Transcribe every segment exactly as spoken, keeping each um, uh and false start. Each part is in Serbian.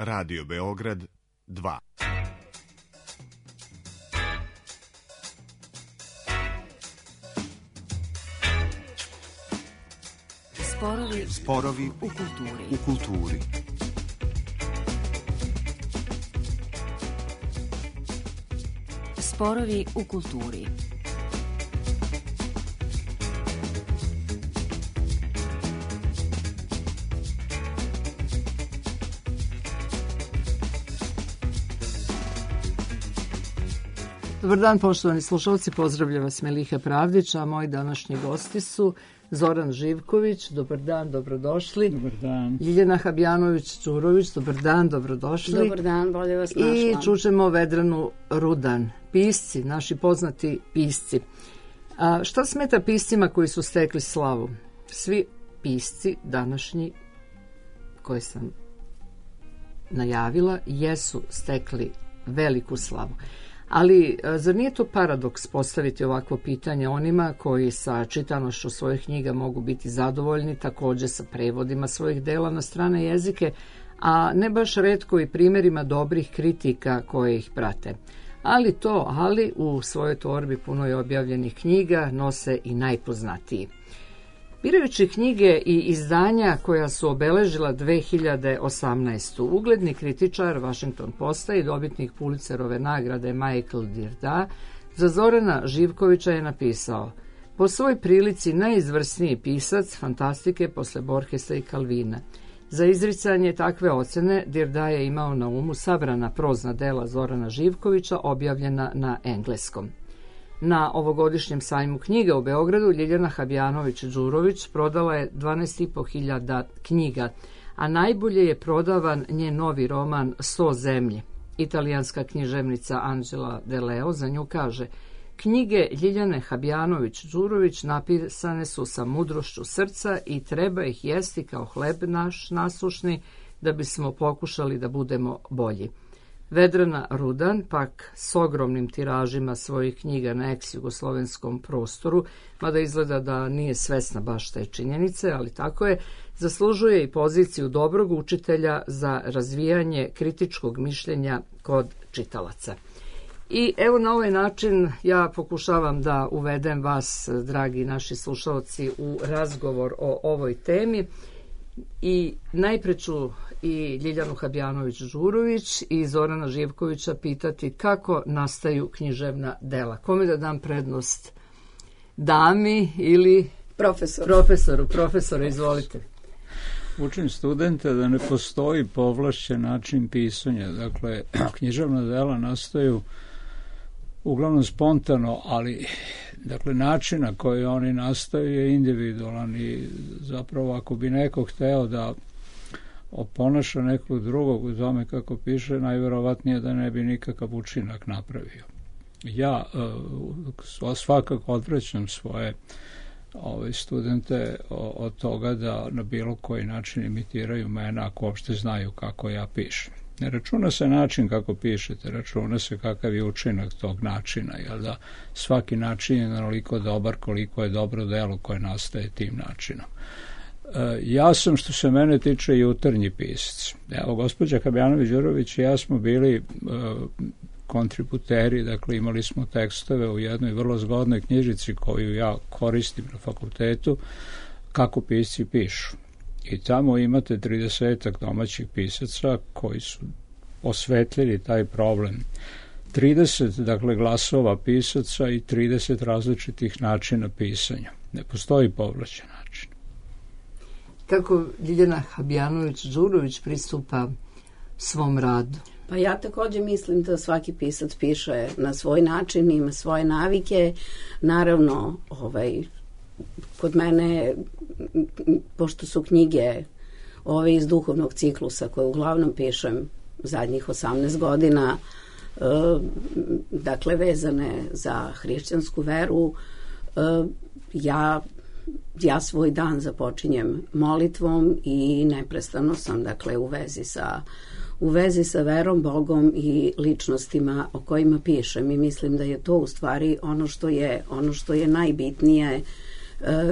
Radio Beograd dva. Sporovi, Sporovi u kulturi. U kulturi. Sporovi u kulturi. Dobar dan, poštovani slušalci, pozdravlja vas Meliha Pravdić, a moji današnji gosti su Zoran Živković, dobar dan, dobrodošli. Dobar dan. Ljiljana Habjanović-Đurović, dobar dan, dobrodošli. Dobar dan, bolje vas našla. I čućemo Vedranu Rudan, pisci, naši poznati pisci. A šta smeta piscima koji su stekli slavu? Svi pisci današnji koje sam najavila jesu stekli veliku slavu. Ali zar nije to paradoks postaviti ovakvo pitanje onima koji sa čitanošću svojih knjiga mogu biti zadovoljni, također sa prevodima svojih dela na strane jezike, a ne baš retko i primjerima dobrih kritika koje ih prate. Ali to, ali u svojoj torbi punoj objavljenih knjiga nose i najpoznatiji. Birajući knjige i izdanja koja su obeležila dve hiljade osamnaestu. ugledni kritičar Washington Posta i dobitnik Pulitzerove nagrade Michael Dirda za Zorana Živkovića je napisao: po svoj prilici najizvrsniji pisac fantastike posle Borgesa i Calvina. Za izricanje takve ocene Dirda je imao na umu sabrana prozna dela Zorana Živkovića objavljena na engleskom. Na ovogodišnjem sajmu knjiga u Beogradu Ljiljana Habjanović-Đurović prodala je dvanaest i po hiljada knjiga, a najbolje je prodavan njen novi roman Sto zemlje. Italijanska književnica Angela De Leo za nju kaže: knjige Ljiljane Habjanović-Đurović napisane su sa mudrošću srca i treba ih jesti kao hleb naš nasušni da bismo pokušali da budemo bolji. Vedrana Rudan, pak s ogromnim tiražima svojih knjiga na ex-jugoslovenskom prostoru, mada izgleda da nije svesna baš te činjenice, ali tako je, zaslužuje i poziciju dobrog učitelja za razvijanje kritičkog mišljenja kod čitalaca. I evo na ovaj način ja pokušavam da uvedem vas, dragi naši slušalci, u razgovor o ovoj temi. I najpre ću i Ljiljanu Habjanović-Đurović i Zorana Živkovića pitati kako nastaju književna dela. Kome da dam prednost? Dami ili Profesor. profesoru? Profesore, izvolite. Učim studente da ne postoji povlašćen način pisanja. Dakle, književna dela nastaju uglavnom spontano, ali dakle način na koji oni nastaju je individualan i zapravo ako bi neko hteo da oponaša nekog drugog u tome kako piše, najverovatnije da ne bi nikakav učinak napravio. Ja uh, svakako odvraćam svoje ove studente od toga da na bilo koji način imitiraju mene ako uopšte znaju kako ja pišem. Ne računa se način kako pišete, računa se kakav je učinak tog načina, jer da svaki način je naliko dobar koliko je dobro delo koje nastaje tim načinom. E, ja sam, što se mene tiče, jutarnji pisac. Evo, gospođa Habjanović-Đurović i ja smo bili e, kontributeri, dakle imali smo tekstove u jednoj vrlo zgodnoj knjižici koju ja koristim na fakultetu, kako pisci pišu. I tamo imate tridesetak domaćih pisaca koji su osvetlili taj problem. trideset, dakle, glasova pisaca i trideset različitih načina pisanja. Ne postoji povlašćen način. Kako Ljiljana Habjanović-Đurović pristupa svom radu? Pa ja također mislim da svaki pisac piše na svoj način, ima svoje navike. Naravno, ovaj, kod mene, pošto su knjige ove iz duhovnog ciklusa koje uglavnom pišem zadnjih osamnaest godina, e, dakle vezane za hrišćansku veru, e, ja, ja svoj dan započinjem molitvom i neprestano sam, dakle, u vezi sa u vezi sa verom, Bogom i ličnostima o kojima pišem, i mislim da je to u stvari ono što je, ono što je najbitnije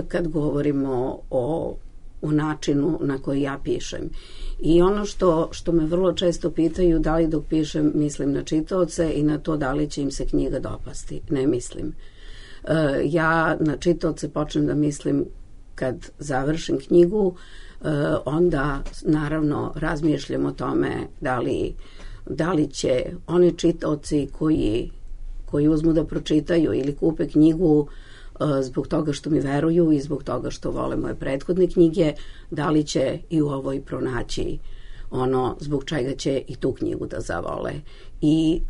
kad govorimo o, o načinu na koji ja pišem. I ono što, što me vrlo često pitaju, da li dok pišem mislim na čitaoce i na to da li će im se knjiga dopasti. Ne mislim. E, ja na čitaoce počnem da mislim kad završim knjigu, e, onda naravno razmišljam o tome da li, da li će oni čitaoci koji, koji uzmu da pročitaju ili kupe knjigu zbog toga što mi veruju i zbog toga što vole moje prethodne knjige, da li će i u ovoj pronaći ono zbog čega će i tu knjigu da zavole. I,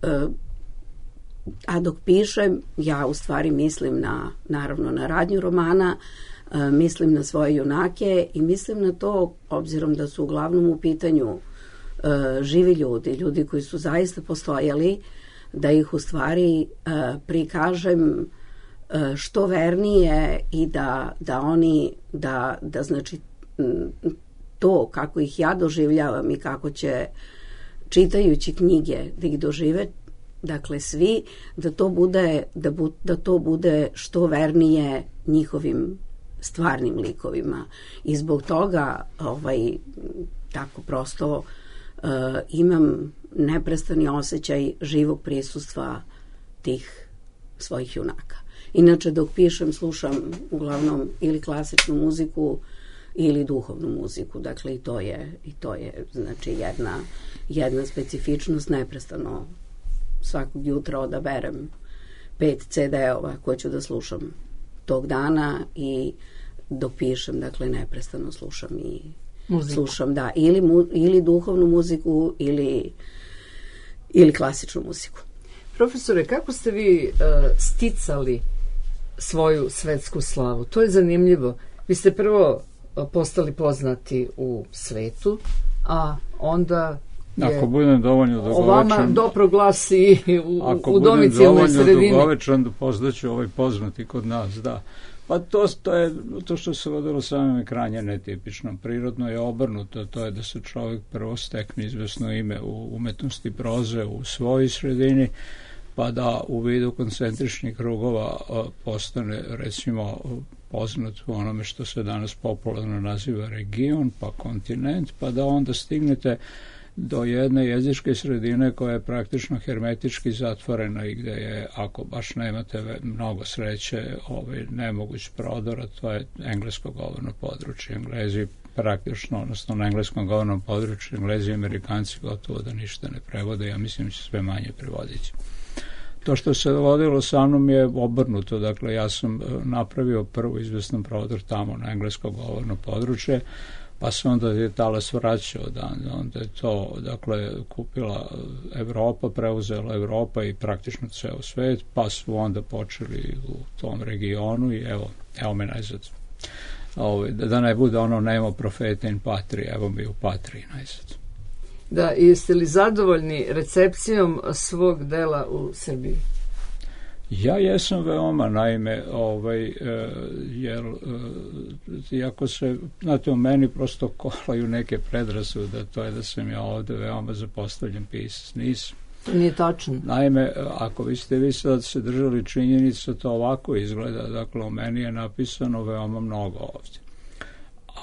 a dok pišem, ja u stvari mislim na, naravno na radnju romana, mislim na svoje junake i mislim na to, obzirom da su uglavnom u pitanju živi ljudi, ljudi koji su zaista postojali, da ih u stvari prikažem što vernije i da, da oni, da, da znači to kako ih ja doživljavam i kako će čitajući knjige da ih dožive, dakle svi, da to bude, da, bu, da to bude što vernije njihovim stvarnim likovima. I zbog toga ovaj, tako prosto uh, imam neprestani osjećaj živog prisustva tih svojih junaka. Inače, dok pišem, slušam uglavnom ili klasičnu muziku ili duhovnu muziku. Dakle, i to je, i to je znači, jedna, jedna specifičnost. Neprestano svakog jutra odaberem pet ce de-ova koje ću da slušam tog dana i dok pišem, dakle, neprestano slušam i muziku. Slušam, da, ili, mu, ili duhovnu muziku ili, ili klasičnu muziku. Profesore, kako ste vi uh, sticali svoju svetsku slavu? To je zanimljivo. Vi ste prvo postali poznati u svetu, a onda je ako budem dovoljno dugovečan, o vama doproglasi u, ako u domicilnoj sredini. Ako budem dovoljno dugovečan, da poznaću ovaj poznati kod nas, da. Pa to, to je to što se vodilo samim ekranje netipično. Prirodno je obrnuto, to je da se čovjek prvo stekne izvesno ime u umetnosti proze u svojoj sredini, pa da u vidu koncentričnih krugova postane, recimo, poznat u onome što se danas popularno naziva region, pa kontinent, pa da onda stignete do jedne jezičke sredine koja je praktično hermetički zatvorena i gde je, ako baš nemate mnogo sreće, ovaj nemoguć prodor, a to je englesko govorno područje. Englezi praktično, odnosno na engleskom govornom području, Englezi i Amerikanci gotovo da ništa ne prevode, ja mislim će sve manje prevoditi. To što se dogodilo sa mnom je obrnuto, dakle ja sam napravio prvo izvestan prodor tamo na englesko govorno područje, pa se onda je talas vraćao, da, onda je to, dakle, kupila Evropa, preuzela Evropa i praktično ceo svet, pa su onda počeli u tom regionu i evo, evo me najzad. Ovo, da ne bude ono nemo profeta in patri, evo mi u patriji najzad. Da, jeste li zadovoljni recepcijom svog dela u Srbiji? Ja jesam veoma, naime, ovaj, e, jer e, iako se, znate, u meni prosto kolaju neke predrasude, to je da sam ja ovde veoma zapostavljen pisac, nisam. To nije tačno. Naime, ako vi ste vi sad se držali činjenica, to ovako izgleda, dakle, u meni je napisano veoma mnogo ovdje.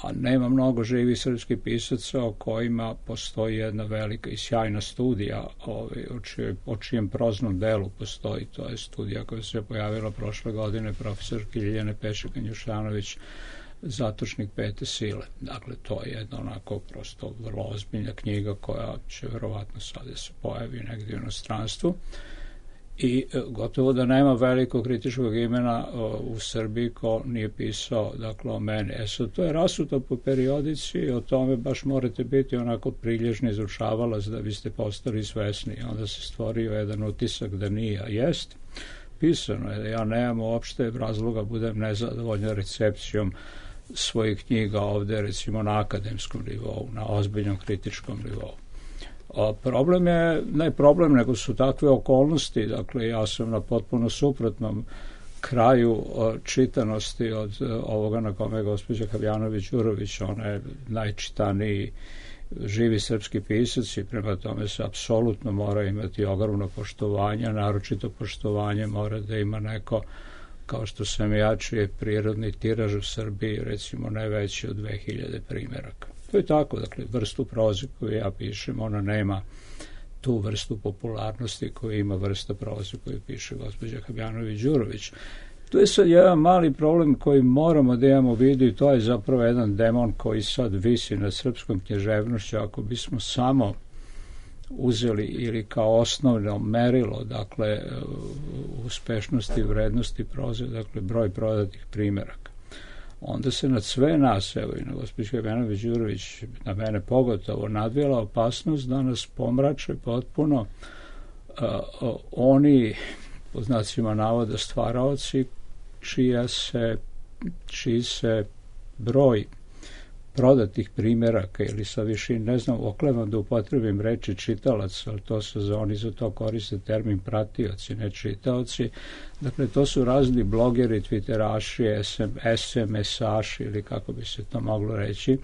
A nema mnogo živih srpskih pisaca o kojima postoji jedna velika i sjajna studija ovaj, o, čije, o čijem proznom delu postoji. To je studija koja se pojavila prošle godine profesorke Ljiljane Pešek-Njušanović, Zatočnik pete sile. Dakle, to je jedna onako prosto vrlo ozbiljna knjiga koja će verovatno sada se pojavi negdje u inostranstvu. I gotovo da nema velikog kritičkog imena o, u Srbiji ko nije pisao, dakle, o meni. E sad, to je rasuto po periodici i o tome baš morate biti onako prilježni izučavalac da biste postali svesni. Onda se stvorio jedan utisak da nije, a jest. Pisano je da ja nemam uopšte razloga budem nezadovoljan recepcijom svojih knjiga ovde, recimo na akademskom nivou, na ozbiljnom kritičkom nivou. A problem je, ne problem, nego su takve okolnosti, dakle ja sam na potpuno suprotnom kraju čitanosti od ovoga na kome je gospođa Habjanović-Đurović, ona je najčitaniji živi srpski pisac i prema tome se apsolutno mora imati ogromno poštovanje, naročito poštovanje mora da ima neko kao što sam ja, čiji je prirodni tiraž u Srbiji recimo ne veći od dve hiljade primjeraka. To je tako, dakle, vrstu proze koju ja pišem, ona nema tu vrstu popularnosti koju ima vrsta proze koju piše gospođa Habjanović-Đurović. Tu je sad jedan mali problem koji moramo da imamo u vidu i to je zapravo jedan demon koji sad visi nad srpskom književnošću. Ako bismo samo uzeli ili kao osnovno merilo, dakle, uspešnosti i vrednosti proze, dakle, broj prodatih primeraka, onda se nad sve nas, evo i na gospođu Habjanović-Đurović, na mene pogotovo, nadvijela opasnost da nas pomrače potpuno uh, uh, oni, po znacima navoda, stvaraoci, čija se, čiji se broj prodatih primeraka ili sa višin, ne znam, oklevam da upotrebim reči čitalac, ali to su za oni za to koriste termin pratioci, ne čitaoci. Dakle, to su razni blogeri, twitteraši, es em es-aši ili kako bi se to moglo reći,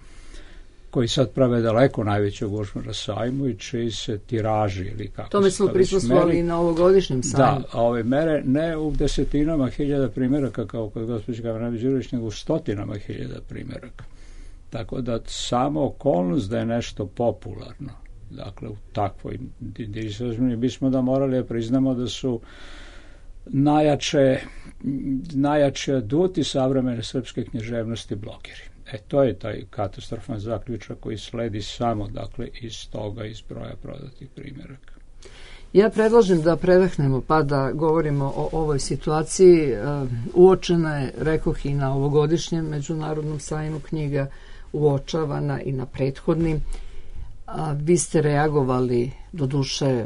koji sad prave daleko najveću gužvu na sajmu i čiji se tiraži ili kako Tome smo prisustvovali i na ovogodišnjem sajmu. Da, a ove mere ne u desetinama hiljada primeraka kao kod gospođe Habjanović-Đurović, nego u stotinama hiljada primeraka. Tako da samo okolnost da je nešto popularno, dakle u takvoj disazmini, bismo da morali da priznamo da su najjače, najjače aduti savremene srpske književnosti blogeri. E, to je taj katastrofan zaključak koji sledi samo, dakle, iz toga, iz broja prodatih primjeraka. Ja predlažem da predahnemo pa da govorimo o ovoj situaciji. Uočena je, rekoh, i na ovogodišnjem Međunarodnom sajmu knjiga, uočavana i na prethodnim. A vi ste reagovali, doduše,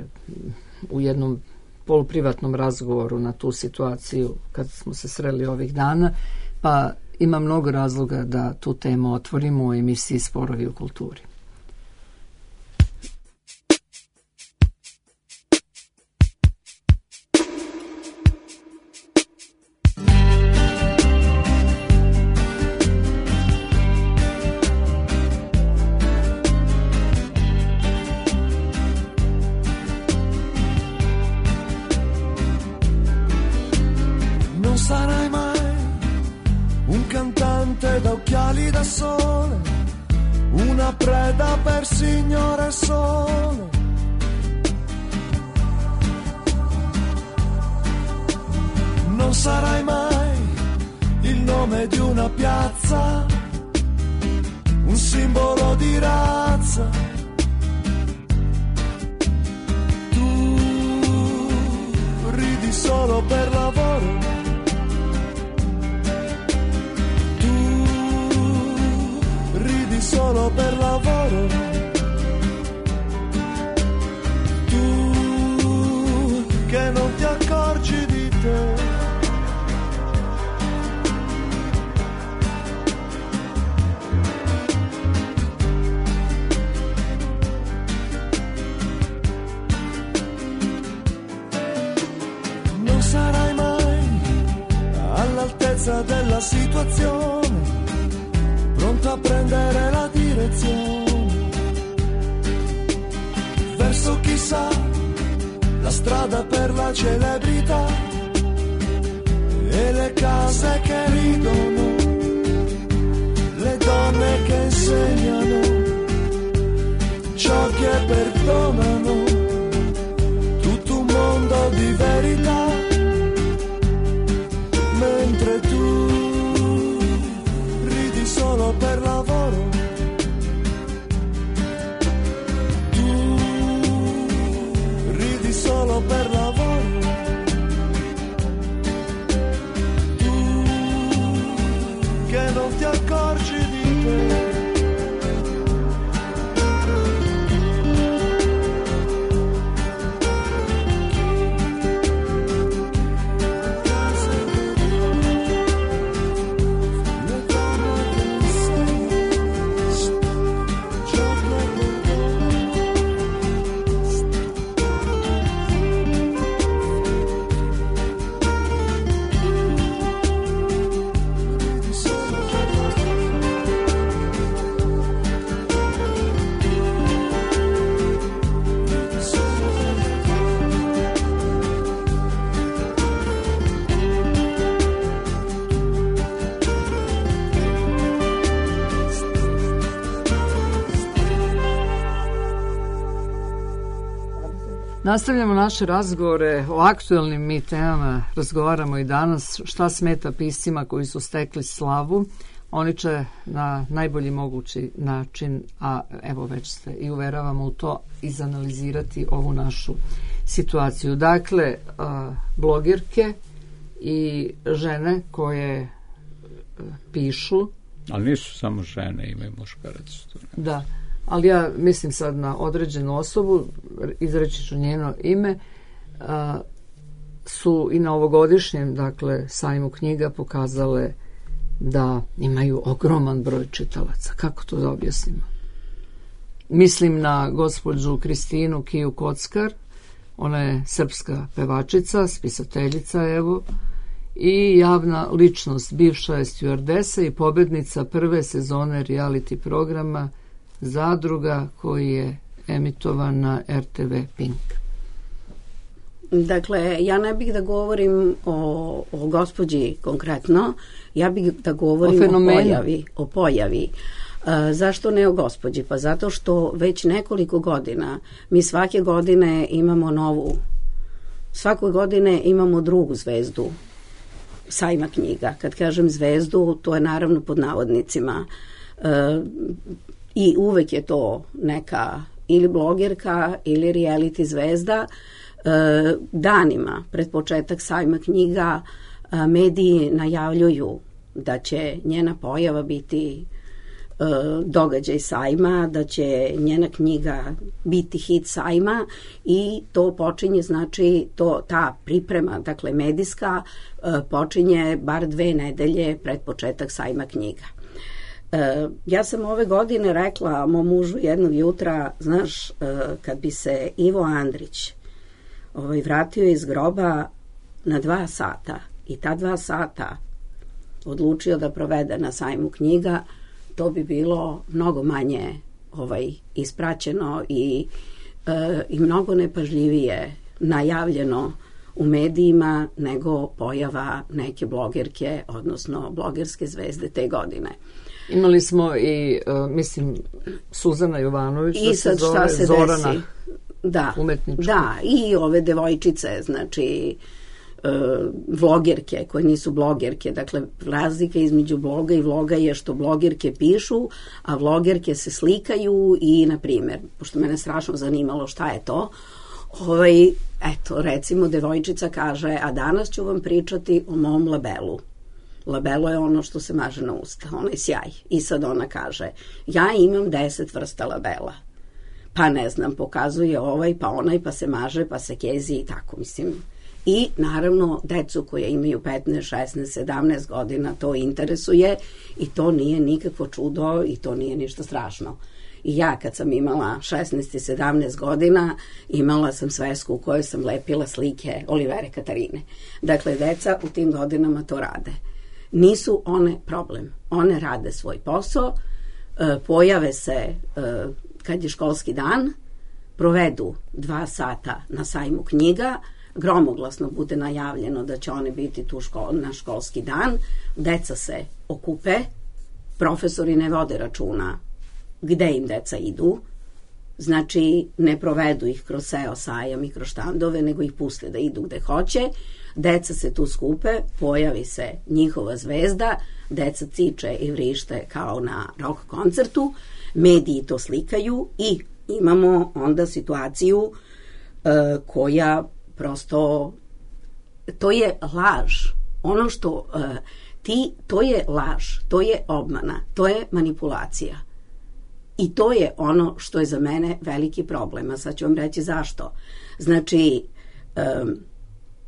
u jednom poluprivatnom razgovoru na tu situaciju kad smo se sreli ovih dana, pa ima mnogo razloga da tu temu otvorimo u emisiji Sporovi u kulturi. Da occhiali da sole, una preda per signore sole. Non sarai mai il nome di una piazza, un simbolo di razza. Tu ridi solo per lavoro, solo per lavoro. Tu che non ti accorgi di te. Non sarai mai all'altezza della situazione, pronto a prendere la direzione verso chissà la strada per la celebrità e le case che ridono, le donne che insegnano ciò che perdonano, tutto un mondo di verità, mentre tu solo per lavoro. Tu ridi solo per lavoro. Tu che non ti accorgi di te. Nastavljamo naše razgovore o aktuelnim mi temama, razgovaramo i danas šta smeta piscima koji su stekli slavu. Oni će na najbolji mogući način, a evo već se i uveravamo u to, izanalizirati ovu našu situaciju. Dakle, blogirke i žene koje pišu. Ali nisu samo žene, ima i muškarac. Da, ali ja mislim sad na određenu osobu, izreći ću njeno ime, a, su i na ovogodišnjem, dakle, sajmu knjiga pokazale da imaju ogroman broj čitalaca. Kako to da objasnimo? Mislim na gospođu Kristinu Kiju Kockar, ona je srpska pevačica, spisateljica, evo, i javna ličnost, bivša je stjuardesa i pobednica prve sezone reality programa Zadruga koji je emitovan na er te ve Pink. Dakle, ja ne bih da govorim o, o gospođi konkretno, ja bih da govorim o, o pojavi. O pojavi. E, zašto ne o gospođi? Pa zato što već nekoliko godina mi svake godine imamo novu, svake godine imamo drugu zvezdu sajma knjiga. Kad kažem zvezdu, to je naravno pod navodnicima. E, I uvek je to neka ili blogerka ili reality zvezda. E, danima pred početak sajma knjiga e, mediji najavljuju da će njena pojava biti e, događaj sajma, da će njena knjiga biti hit sajma i to počinje, znači to, ta priprema, dakle medijska, e, počinje bar dve nedelje pred početak sajma knjiga. E, ja sam ove godine rekla mom mužu jednog jutra, znaš, e, kad bi se Ivo Andrić ovaj, vratio iz groba na dva sata i ta dva sata odlučio da provede na sajmu knjiga, to bi bilo mnogo manje ovaj, ispraćeno i, e, i mnogo nepažljivije najavljeno u medijima nego pojava neke blogerke, odnosno blogerske zvezde te godine. Imali smo i, uh, mislim, Suzana Jovanović, I da sad se zove šta se Zorana, desi? Da, umetnička. da, i ove devojčice, znači uh, vlogerke koje nisu blogerke, dakle razlika između bloga i vloga je što blogerke pišu, a vlogerke se slikaju i, na primjer, pošto mene strašno zanimalo šta je to, ovaj, eto, recimo devojčica kaže, a danas ću vam pričati o mom labelu. Labelo je ono što se maže na usta, onaj sjaj. I sad ona kaže, ja imam deset vrsta labela. Pa ne znam, pokazuje ovaj, pa onaj, pa se maže, pa se kezi i tako, mislim. I naravno, decu koje imaju petnaest, šesnaest, sedamnaest godina to interesuje i to nije nikakvo čudo i to nije ništa strašno. I ja kad sam imala šesnaest i sedamnaest godina, imala sam svesku u kojoj sam lepila slike Olivere Katarine. Dakle, deca u tim godinama to rade. Nisu one problem. One rade svoj posao, e, pojave se e, kad je školski dan, provedu dva sata na sajmu knjiga, gromoglasno bude najavljeno da će one biti tu škol, na školski dan, deca se okupe, profesori ne vode računa gde im deca idu, znači ne provedu ih kroz seo sajam i kroz štandove, nego ih puste da idu gde hoće, deca se tu skupe, pojavi se njihova zvezda, deca ciče i vrište kao na rock koncertu, mediji to slikaju i imamo onda situaciju uh, koja prosto, to je laž. Ono što uh, ti, to je laž, to je obmana, to je manipulacija. I to je ono što je za mene veliki problem, a sad ću vam reći zašto. Znači, um,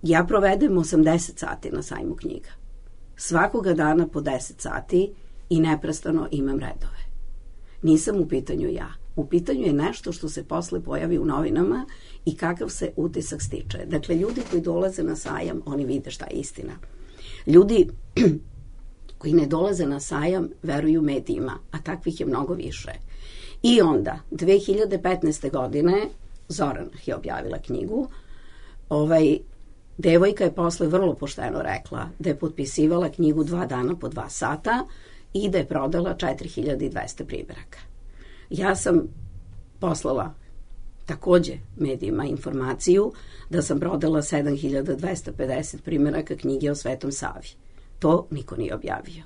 ja provedem osamdeset sati na sajmu knjiga. Svakoga dana po deset sati i neprestano imam redove. Nisam u pitanju ja. U pitanju je nešto što se posle pojavi u novinama i kakav se utisak stiče. Dakle, ljudi koji dolaze na sajam, oni vide šta je istina. Ljudi koji ne dolaze na sajam veruju medijima, a takvih je mnogo više. I onda, dve hiljade petnaeste. godine, Zorana je objavila knjigu, ovaj, devojka je posle vrlo pošteno rekla da je potpisivala knjigu dva dana po dva sata i da je prodala četiri hiljade dvesta primjeraka. Ja sam poslala takođe medijima informaciju da sam prodala sedam hiljada dvesta pedeset primjeraka knjige o Svetom Savi. To niko nije objavio.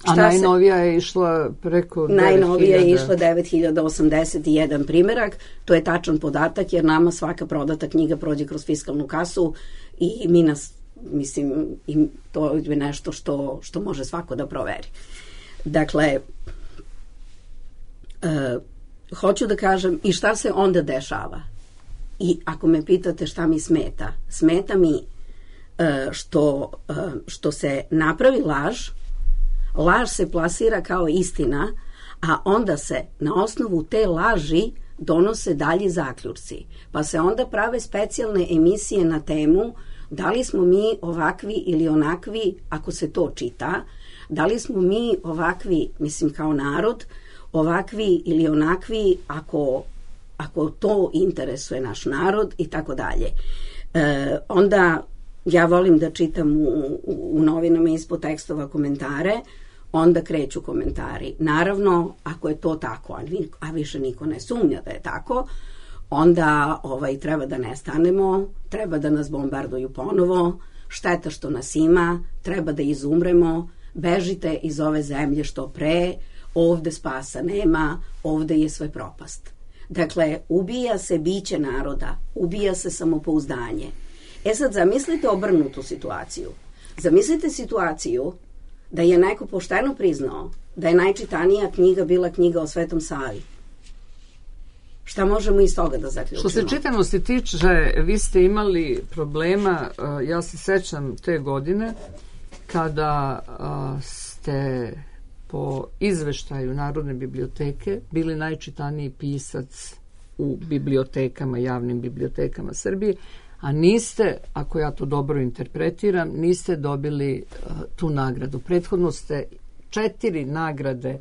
A najnovija je išla preko devet hiljada. Najnovija je išla devet hiljada osamdeset jedan primjerak. To je tačan podatak jer nama svaka prodata knjiga prođe kroz fiskalnu kasu i mi nas, mislim, i to je nešto što, što može svako da proveri. Dakle, e, hoću da kažem i šta se onda dešava. I ako me pitate šta mi smeta, smeta mi e, što, e, što se napravi laž, laž se plasira kao istina, a onda se na osnovu te laži donose dalji zaključci. Pa se onda prave specijalne emisije na temu da li smo mi ovakvi ili onakvi ako se to čita, da li smo mi ovakvi, mislim kao narod, ovakvi ili onakvi ako, ako to interesuje naš narod i tako dalje. E, onda ja volim da čitam u, u, u novinama ispod tekstova komentare, onda kreću komentari. Naravno, ako je to tako, a, a više niko ne sumnja da je tako, onda ovaj, treba da nestanemo, treba da nas bombarduju ponovo, šteta što nas ima, treba da izumremo, bežite iz ove zemlje što pre, ovde spasa nema, ovde je sve propast. Dakle, ubija se biće naroda, ubija se samopouzdanje. E sad, zamislite obrnutu situaciju. Zamislite situaciju da je neko pošteno priznao da je najčitanija knjiga bila knjiga o Svetom Savi. Šta možemo iz toga da zaključimo? Što se čitanosti tiče, vi ste imali problema, ja se sećam te godine, kada ste po izveštaju Narodne biblioteke bili najčitaniji pisac u bibliotekama, javnim bibliotekama Srbije, a niste, ako ja to dobro interpretiram, niste dobili uh, tu nagradu. Prethodno ste četiri nagrade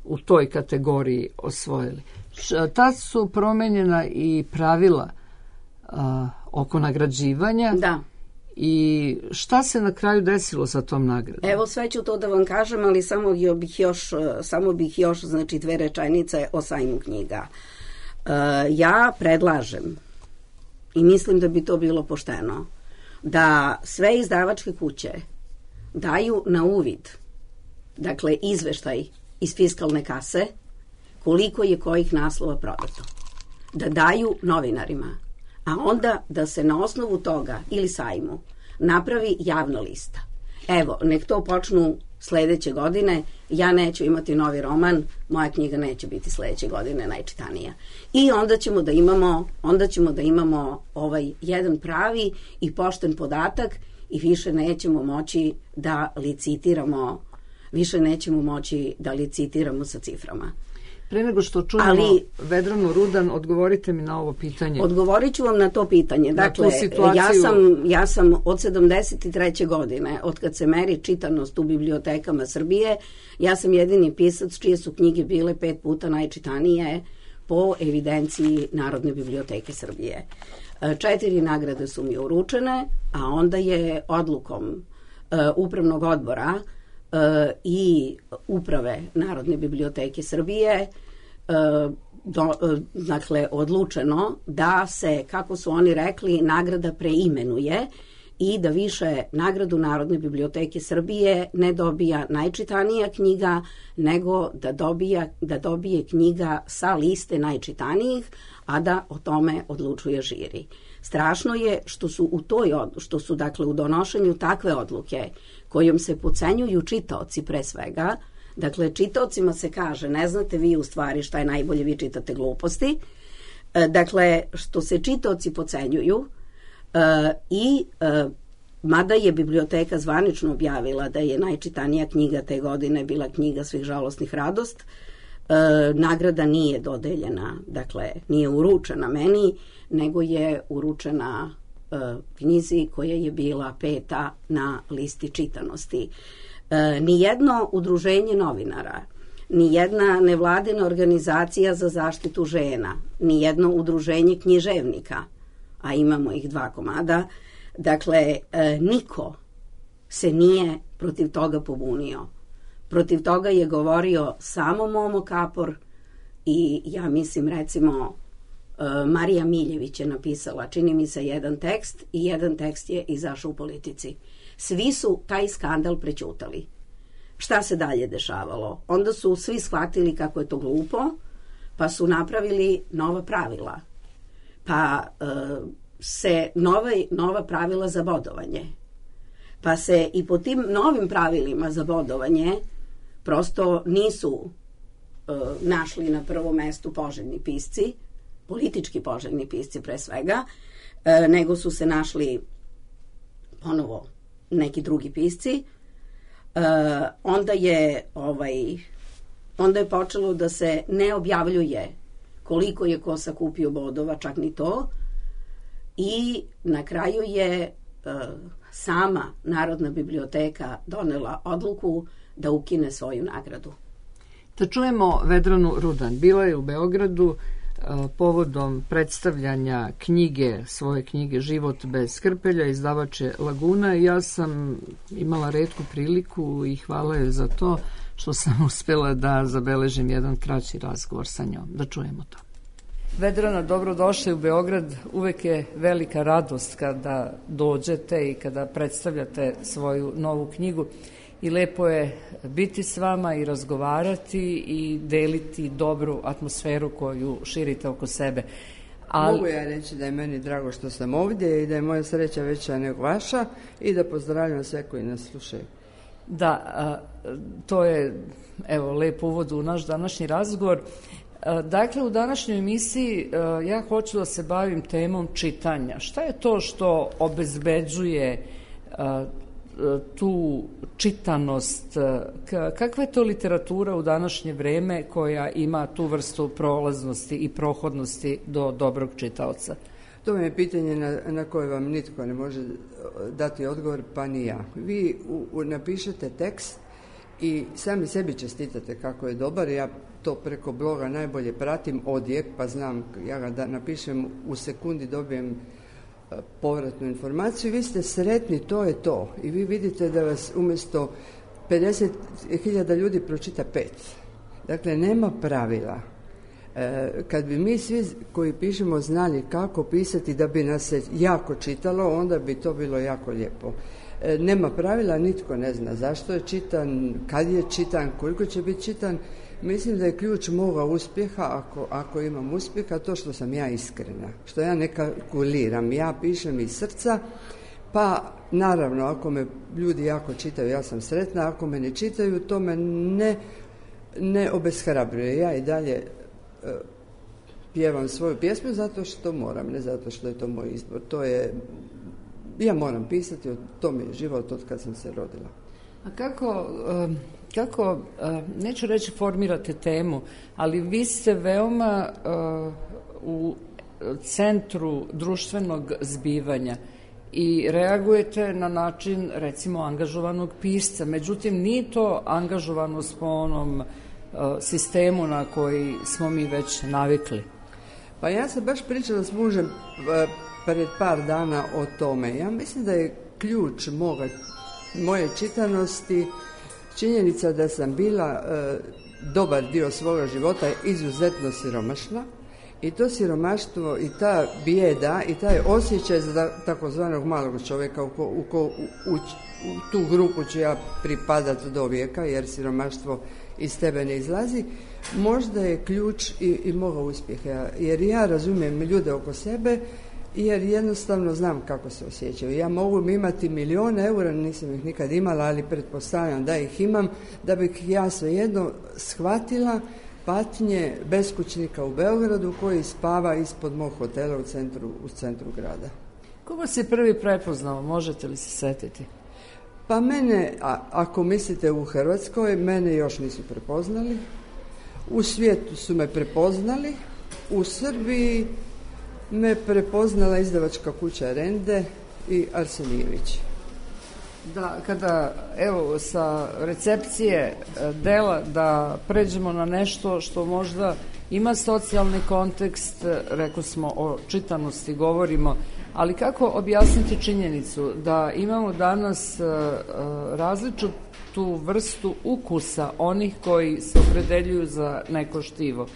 u toj kategoriji osvojili. Tad su promenjena i pravila uh, oko nagrađivanja. Da. I šta se na kraju desilo sa tom nagradom? Evo, sve ću to da vam kažem, ali samo bih još, samo bih još znači, dve rečenice o sajmu knjiga. Uh, ja predlažem i mislim da bi to bilo pošteno, da sve izdavačke kuće daju na uvid, dakle, izveštaj iz fiskalne kase, koliko je kojih naslova prodato. Da daju novinarima, a onda da se na osnovu toga ili sajmu napravi javna lista. Evo, nek to počnu sledeće godine, ja neću imati novi roman, moja knjiga neće biti sledeće godine najčitanija. I onda ćemo da imamo, onda ćemo da imamo ovaj jedan pravi i pošten podatak i više nećemo moći da licitiramo, više nećemo moći da licitiramo sa ciframa. Pre nego što čujemo Ali, Vedranu Rudan, odgovorite mi na ovo pitanje. Odgovorit ću vam na to pitanje. Dakle, situaciju... ja, sam, ja sam od sedamdeset treće godine, od kad se meri čitanost u bibliotekama Srbije, ja sam jedini pisac čije su knjige bile pet puta najčitanije po evidenciji Narodne biblioteke Srbije. Četiri nagrade su mi uručene, a onda je odlukom uh, upravnog odbora uh, i uprave Narodne biblioteke Srbije Do, dakle, odlučeno da se, kako su oni rekli, nagrada preimenuje i da više nagradu Narodne biblioteke Srbije ne dobija najčitanija knjiga, nego da, dobija, da dobije knjiga sa liste najčitanijih, a da o tome odlučuje žiri. Strašno je što su u toj što su dakle u donošenju takve odluke kojom se podcenjuju čitaoci pre svega. Dakle, čitaocima se kaže, ne znate vi u stvari šta je najbolje, vi čitate gluposti. E, dakle, što se čitaoci pocenjuju e, i e, mada je biblioteka zvanično objavila da je najčitanija knjiga te godine bila knjiga Svih žalosnih radost, e, nagrada nije dodeljena, dakle, nije uručena meni, nego je uručena e, knjizi koja je bila peta na listi čitanosti. E, nijedno udruženje novinara, nijedna nevladina organizacija za zaštitu žena, nijedno udruženje književnika, a imamo ih dva komada, dakle, e, niko se nije protiv toga pobunio. Protiv toga je govorio samo Momo Kapor i ja mislim recimo Marija Miljević je napisala, čini mi se, jedan tekst i jedan tekst je izašao u Politici. Svi su taj skandal prećutali. Šta se dalje dešavalo? Onda su svi shvatili kako je to glupo, pa su napravili nova pravila. Pa e, se nove, nova pravila za bodovanje. Pa se i po tim novim pravilima za bodovanje prosto nisu e, našli na prvom mestu poželjni pisci, politički poželjni pisci pre svega, e, nego su se našli ponovo neki drugi pisci. E, onda je ovaj, onda je počelo da se ne objavljuje koliko je ko sakupio bodova, čak ni to, i na kraju je e, sama Narodna biblioteka donela odluku da ukine svoju nagradu. Da čujemo Vedranu Rudan. Bila je u Beogradu povodom predstavljanja knjige, svoje knjige Život bez krpelja, izdavač je Laguna, i ja sam imala retku priliku i hvala joj za to što sam uspjela da zabeležim jedan kraći razgovor sa njom. Da čujemo to. Vedrana, dobrodošli u Beograd. Uvek je velika radost kada dođete i kada predstavljate svoju novu knjigu. I lepo je biti s vama i razgovarati i deliti dobru atmosferu koju širite oko sebe. Ali... Mogu ja reći da je meni drago što sam ovdje i da je moja sreća veća nego vaša i da pozdravljam sve koji nas slušaju. Da, a, to je evo lep uvod u naš današnji razgovor. A, dakle, u današnjoj emisiji a, ja hoću da se bavim temom čitanja. Šta je to što obezbeđuje a, tu čitanost, kakva je to literatura u današnje vreme koja ima tu vrstu prolaznosti i prohodnosti do dobrog čitaoca? To je pitanje na, na koje vam nitko ne može dati odgovor, pa ni ja. Vi u, u, napišete tekst i sami sebi čestitate kako je dobar. Ja to preko bloga najbolje pratim odjek, pa znam, ja ga da napišem u sekundi dobijem povratnu informaciju, vi ste sretni, to je to. I vi vidite da vas umjesto pedeset hiljada ljudi pročita pet. Dakle, nema pravila. E, kad bi mi svi koji pišemo znali kako pisati da bi nas se jako čitalo, onda bi to bilo jako lijepo. E, nema pravila, nitko ne zna zašto je čitan, kad je čitan, koliko će biti čitan. Mislim da je ključ moga uspjeha, ako, ako imam uspjeha, to što sam ja iskrena, što ja ne kalkuliram, ja pišem iz srca, pa naravno ako me ljudi jako čitaju, ja sam sretna, ako me ne čitaju, to me ne, ne obeshrabruje. Ja i dalje uh, pjevam svoju pjesmu zato što moram, ne zato što je to moj izbor. To je, ja moram pisati, to mi je život od kad sam se rodila. A kako... Um... Kako, neću reći formirate temu, ali vi ste veoma uh, u centru društvenog zbivanja i reagujete na način, recimo, angažovanog pisca. Međutim, nije to angažovanost po onom uh, sistemu na koji smo mi već navikli. Pa ja sam baš pričala s mužem pred par dana o tome. Ja mislim da je ključ moga, moje čitanosti činjenica da sam bila e, dobar dio svoga života izuzetno siromašna i to siromaštvo i ta bijeda i taj osjećaj za takozvanog malog čovjeka u, ko, u, ko, u, u, u tu grupu ću ja pripadati do vijeka jer siromaštvo iz tebe ne izlazi, možda je ključ i, i moga uspjeha jer ja razumijem ljude oko sebe jer jednostavno znam kako se osjećaju. Ja mogu imati milijone eura, nisam ih nikad imala, ali pretpostavljam da ih imam, da bih ja svejedno shvatila patnje beskućnika u Beogradu koji spava ispod mog hotela u centru, u centru grada. Koga si prvi prepoznao, možete li se setiti? Pa mene, a, ako mislite u Hrvatskoj, mene još nisu prepoznali. U svijetu su me prepoznali, u Srbiji me prepoznala izdavačka kuća Rende i Arsenijević. Da, kada, evo, sa recepcije dela da pređemo na nešto što možda ima socijalni kontekst, rekli smo o čitanosti govorimo, ali kako objasniti činjenicu da imamo danas različitu vrstu ukusa onih koji se opredeljuju za neko štivo?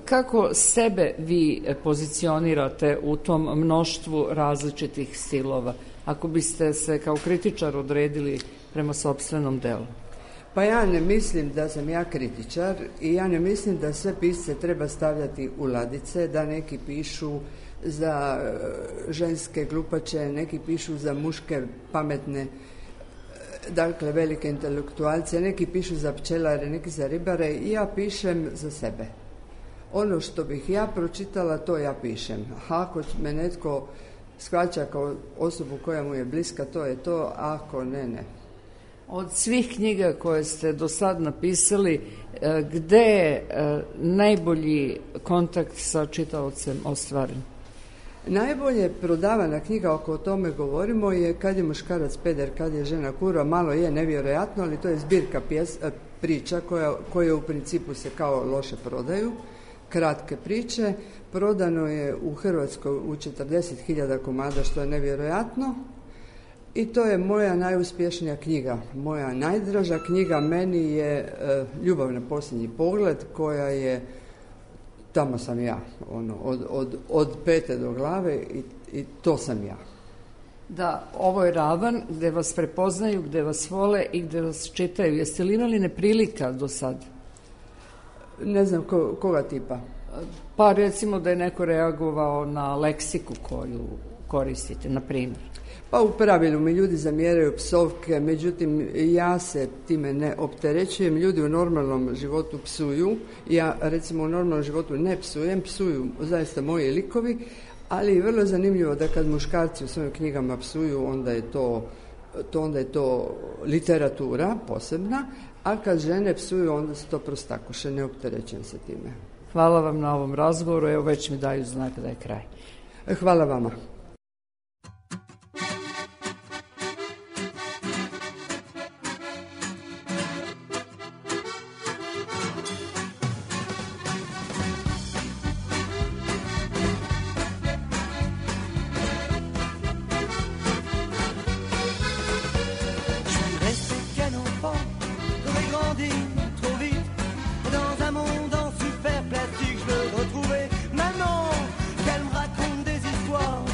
Kako sebe vi pozicionirate u tom mnoštvu različitih stilova, ako biste se kao kritičar odredili prema sopstvenom delu? Pa ja ne mislim da sam ja kritičar i ja ne mislim da sve pisce treba stavljati u ladice, da neki pišu za ženske glupače, neki pišu za muške pametne, dakle velike intelektualce, neki pišu za pčelare, neki za ribare i ja pišem za sebe. Ono što bih ja pročitala, to ja pišem. A ako me netko shvaća kao osobu koja mu je bliska, to je to, a ako ne, ne. Od svih knjiga koje ste do sad napisali, gde je najbolji kontakt sa čitaocem ostvaren? Najbolje prodavana knjiga, ako o tome govorimo, je Kad je muškarac peder, kad je žena kurva. Malo je nevjerojatno, ali to je zbirka pjes, priča koja, koje u principu se kao loše prodaju. Kratke priče. Prodano je u Hrvatskoj u četrdeset hiljada komada, što je nevjerojatno. I to je moja najuspješnija knjiga. Moja najdraža knjiga meni je e, Ljubav na posljednji pogled, koja je, tamo sam ja, ono, od, od, od pete do glave i, i to sam ja. Da, ovo je ravan gde vas prepoznaju, gde vas vole i gde vas čitaju. Jeste li imali neprilika do sad? Ne znam ko, koga tipa. Pa recimo da je neko reagovao na leksiku koju koristite, na primjer. Pa u pravilu mi ljudi zamjeraju psovke, međutim ja se time ne opterećujem. Ljudi u normalnom životu psuju, ja recimo u normalnom životu ne psujem, psuju zaista moji likovi, ali je vrlo zanimljivo da kad muškarci u svojim knjigama psuju, onda je to, to, onda je to literatura posebna, a kad žene psuju, onda su to prostakuše, ne opterećujem se time. Hvala vam na ovom razgovoru, evo već mi daju znak da je kraj. Hvala vama. Maman, qu'elle me raconte des histoires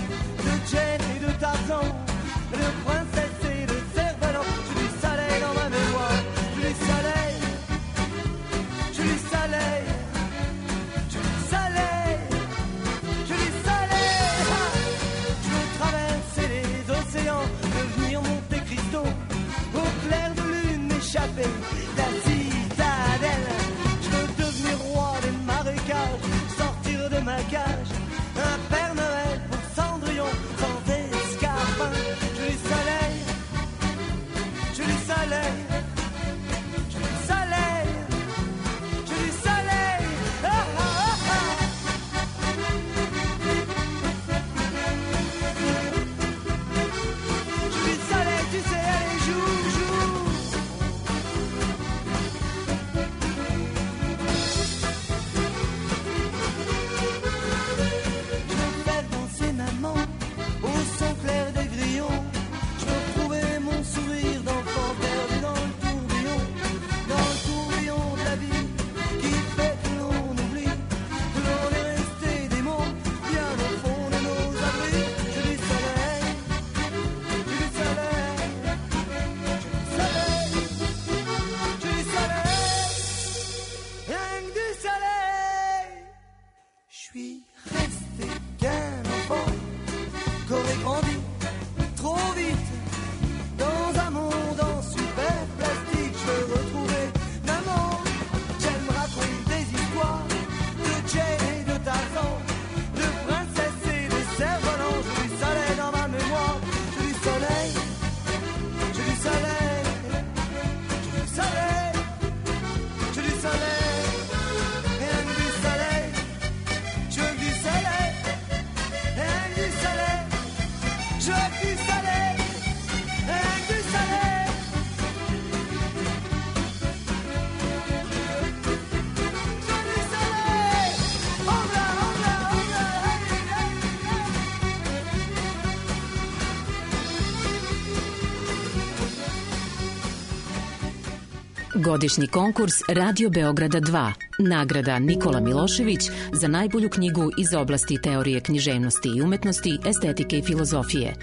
Godišnji konkurs Radio Beograda dva. Nagrada Nikola Milošević za najbolju knjigu iz oblasti teorije književnosti i umetnosti, estetike i filozofije.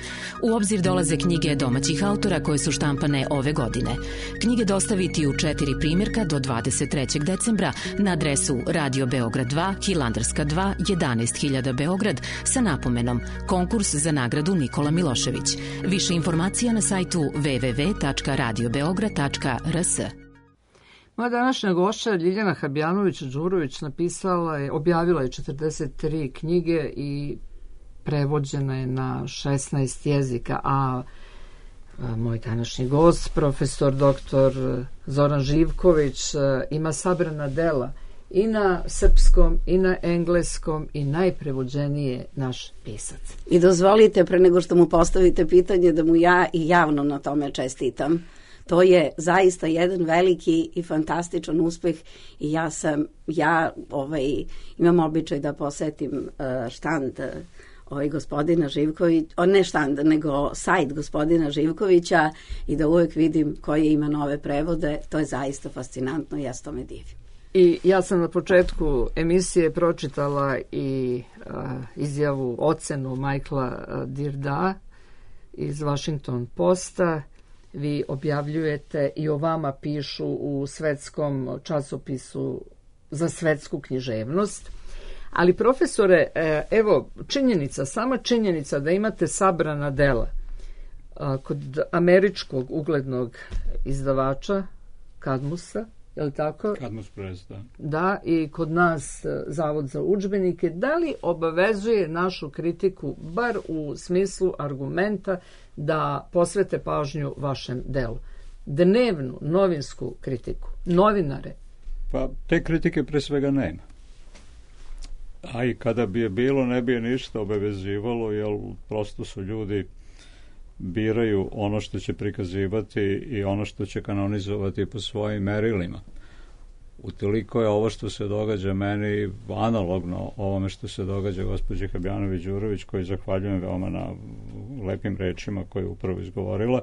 U obzir dolaze knjige domaćih autora koje su štampane ove godine. Knjige dostaviti u četiri primjerka do dvadeset trećeg decembra na adresu Radio Beograd dva, Hilandarska dva, jedanaest hiljada Beograd sa napomenom Konkurs za nagradu Nikola Milošević. Više informacija na sajtu w w w tačka radio beograd tačka r s. Moja današnja gošća Ljiljana Habjanović-Đurović napisala je, objavila je četrdeset tri knjige i prevođena je na šesnaest jezika, a moj današnji gost, profesor doktor Zoran Živković, ima sabrana dela i na srpskom i na engleskom i najprevođenije naš pisac. I dozvolite, pre nego što mu postavite pitanje, da mu ja i javno na tome čestitam. To je zaista jedan veliki i fantastičan uspeh i ja sam, ja ovaj, imam običaj da posetim uh, štand ovaj, gospodina Živkovića, ne štand, nego sajt gospodina Živkovića i da uvek vidim koje ima nove prevode. To je zaista fascinantno i ja s tome divim. I ja sam na početku emisije pročitala i uh, izjavu, ocenu Michaela uh, Dirda iz Washington Posta. Vi objavljujete i o vama pišu u svetskom časopisu za svetsku književnost. Ali profesore, evo činjenica, sama činjenica da imate sabrana dela kod američkog uglednog izdavača Kadmusa, je li tako? Kadmus Press, da. Da, i kod nas Zavod za udžbenike, da li obavezuje našu kritiku, bar u smislu argumenta, da posvete pažnju vašem delu? Dnevnu, novinsku kritiku, novinare? Pa te kritike pre svega nema. A i kada bi je bilo, ne bi je ništa obavezivalo, jer prosto su ljudi biraju ono što će prikazivati i ono što će kanonizovati po svojim merilima. Utoliko je ovo što se događa meni analogno ovome što se događa gospođi Habjanović-Đurović, koji zahvaljujem veoma na lepim rečima koje je upravo izgovorila.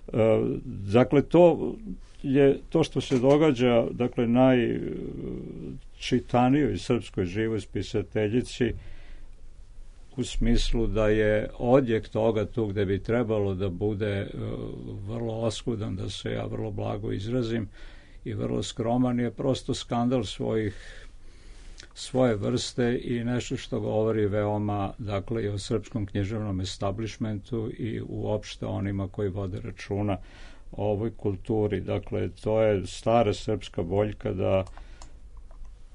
E, dakle, to je to što se događa, dakle, najčitanijoj srpskoj živoj spisateljici, u smislu da je odjek toga tu gde bi trebalo da bude uh, vrlo oskudan, da se ja vrlo blago izrazim, i vrlo skroman, je prosto skandal svojih svoje vrste i nešto što govori veoma, dakle, i o srpskom književnom establishmentu i uopšte onima koji vode računa o ovoj kulturi. Dakle, to je stara srpska boljka da,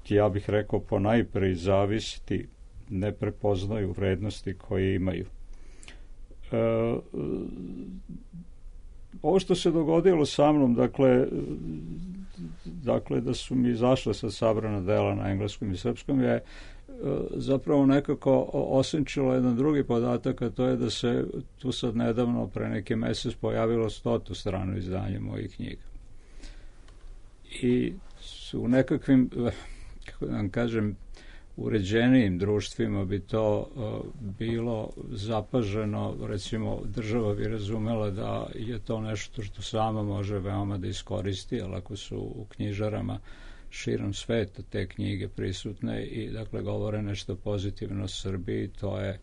ja bih rekao, ponajpre zavisiti ne prepoznaju vrednosti koje imaju. E, ovo što se dogodilo sa mnom, dakle, dakle da su mi izašla sa sabrana dela na engleskom i srpskom, je e, zapravo nekako osenčilo jedan drugi podatak, a to je da se tu sad nedavno, pre neki mesec, pojavilo stotu stranu izdanje mojih knjiga. I su u nekakvim, kako da vam kažem, uređenijim društvima bi to uh, bilo zapaženo, recimo država bi razumela da je to nešto što sama može veoma da iskoristi, ali ako su u knjižarama širom sveta te knjige prisutne i, dakle, govore nešto pozitivno o Srbiji, to je,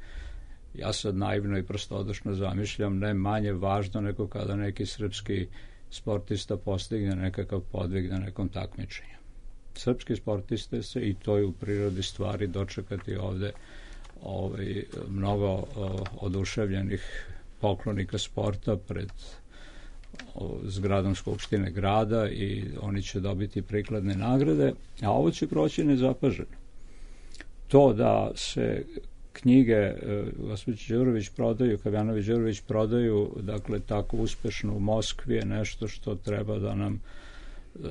ja sad naivno i prostodušno zamišljam, ne manje važno nego kada neki srpski sportista postigne nekakav podvig na nekom takmičenju. Srpski sportiste se, i to je u prirodi stvari, dočekati ovde ovaj, mnogo o, oduševljenih poklonika sporta pred o, zgradom Skupštine grada i oni će dobiti prikladne nagrade, a ovo će proći nezapaženo. To da se knjige gospođe Đurović prodaju, Habjanović-Đurović prodaju, dakle, tako uspešno u Moskvi, je nešto što treba da nam